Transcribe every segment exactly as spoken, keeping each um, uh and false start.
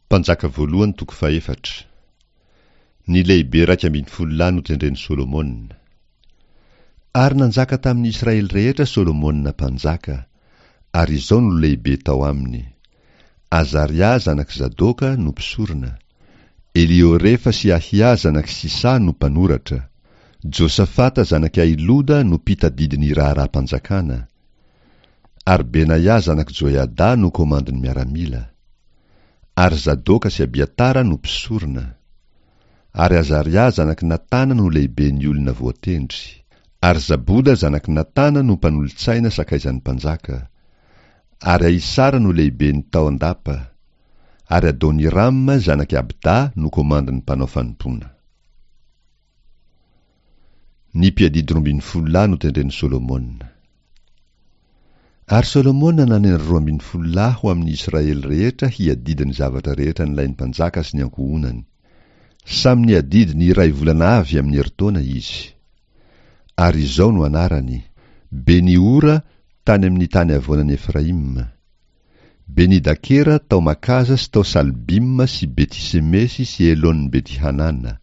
Mpanjaka voalohany toko fahefatra. Ny lehibe iraika ambin'ny folo lahy notendren'i Solomona. Ary nanjaka tamin'ny Israely rehetra Solomona mpanjaka, ary izao no lehibe tao aminy: Azaria zanak'i Zadoka no mpisorona, Eliorefa sy Ahia zanak'i Sisa no mpanoratra, Josafata zanak'i Ahiloda no mpitadidy ny raharaham-panjakana, ary Benaia zanak'i Joiada no komandin'ny miaramila. Ary Zadoka sy Abiatara no mpisorona. Ary Azaria zanak'i Natana no lehiben'ny olona voatendry. Ary Zaboda zanak'i Natana no mpanolotsaina sakaizan'ny mpanjaka. Ary Ahisara no lehiben'ny tao an-dapa. Ary Adonirama zanak'i Abda no komandin'ny mpanao fanompoana. Ny mpiadidy roa ambin'ny folo lahy notendren'i Solomona. Ary Solomona nanendry roa ambin'ny folo lahy ho amin'ny Israely rehetra hiadidy ny zavatra rehetra nilain'ny mpanjaka sy ny ankohonany. Samy niadidy ny iray volana avy amin'ny herintaona izy. Ary izao no anarany: Beni-Hora tany amin'ny tany havoanan'i Efraima, Beni-Dakera tao Makaza sy tao Salbima sy Beti-Semesy sy Elon-Beti-Hanana,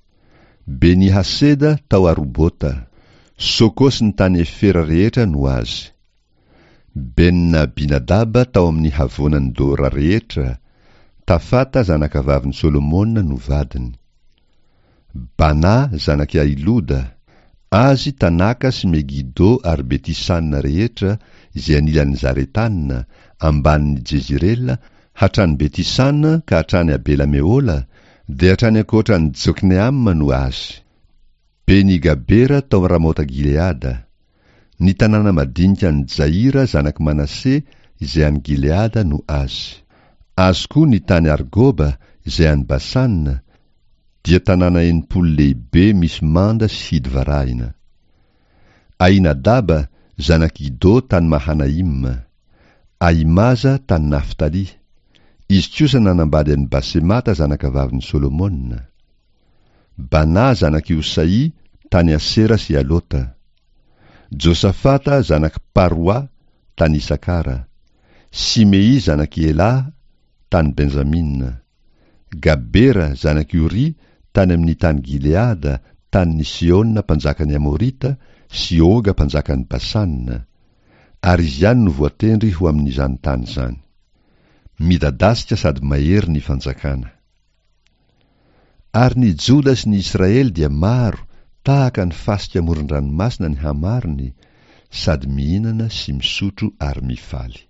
Beni-Haseda tao Arobota, Soko sy ny tany Efera rehetra no azy. Ben-Abinadaba tao amin'ny havoanan'i Dora rehetra, Tafata zanakavavin'i Solomona no vadiny. Bana zanak'i Ahiloda, azy Tanaka sy Megido ary Beti-Sana rehetra izay anilan'i Zaretana, ambanin'i Jezirela, hatrany Beti-Sana ka hatrany Abela-Mehola, dia hatrany ankoatra an'i Jokneama no azy. Beni-Gabera tao Ramota-Gileada. Ny tanàna madinika an'i Jaira zanak'i Manase izay any Gileada no azy. Azy koa ny tany Argoba izay any Basana, dia tanàna enimpolo lehibe misy manda sy hidy varahina. Ahinadaba zanak'i Ido tany Mahanaima. Ahimaza tany Naftaly. Izy kosa nanambady an'i Basemata zanakavavin'i Solomona. Bana zanak'i Osaì tany Asera sy Alota. Josafata zanak'i Paroa tany Isakara. Simei zanak'i Elaha tany Benjamina. Gabera zanak'i Oria tany amin'ny tany Gileada, tanin'i Sihona mpanjakan'ny Amorita sy Oga mpanjakan'i Basana. Ary izy ihany no voatendry ho amin'izany tany izany. Midadasika sady mahery ny fanjakana. Ary ny Joda sy ny Israely dia maro tahaka ny fasika amoron-dranomasina ny hamarony, sady mihinana sy misotro ary mifaly.